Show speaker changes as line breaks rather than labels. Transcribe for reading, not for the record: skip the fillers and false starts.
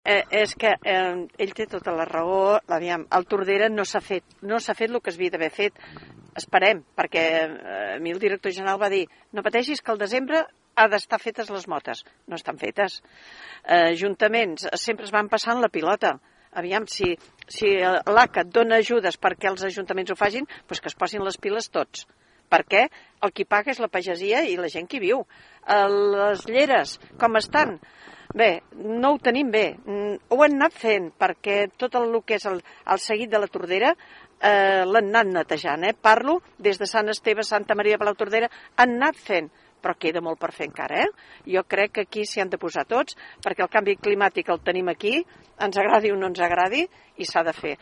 És que ell té tota la raó. Aviam, el Tordera no s'ha fet el que s'havia d'haver fet. Esperem, perquè a mi el director general va dir no pateixis que al desembre ha d'estar fetes les motes. No estan fetes. Ajuntaments sempre es van passant la pilota. Aviam, si l'ACA et dona ajudes perquè els ajuntaments ho facin, doncs que es posin les piles tots. Perquè el qui paga és la pagesia i la gent que hi viu. Les lleres, com estan? Bé, no ho tenim bé. Ho han anat fent, perquè tot el que és el seguit de la Tordera l'han anat netejant. Parlo des de Sant Esteve, Santa Maria, Palau Tordera, han anat fent, però queda molt per fer encara. Jo crec que aquí s'hi han de posar tots, perquè el canvi climàtic el tenim aquí, ens agradi o no ens agradi, i s'ha de fer.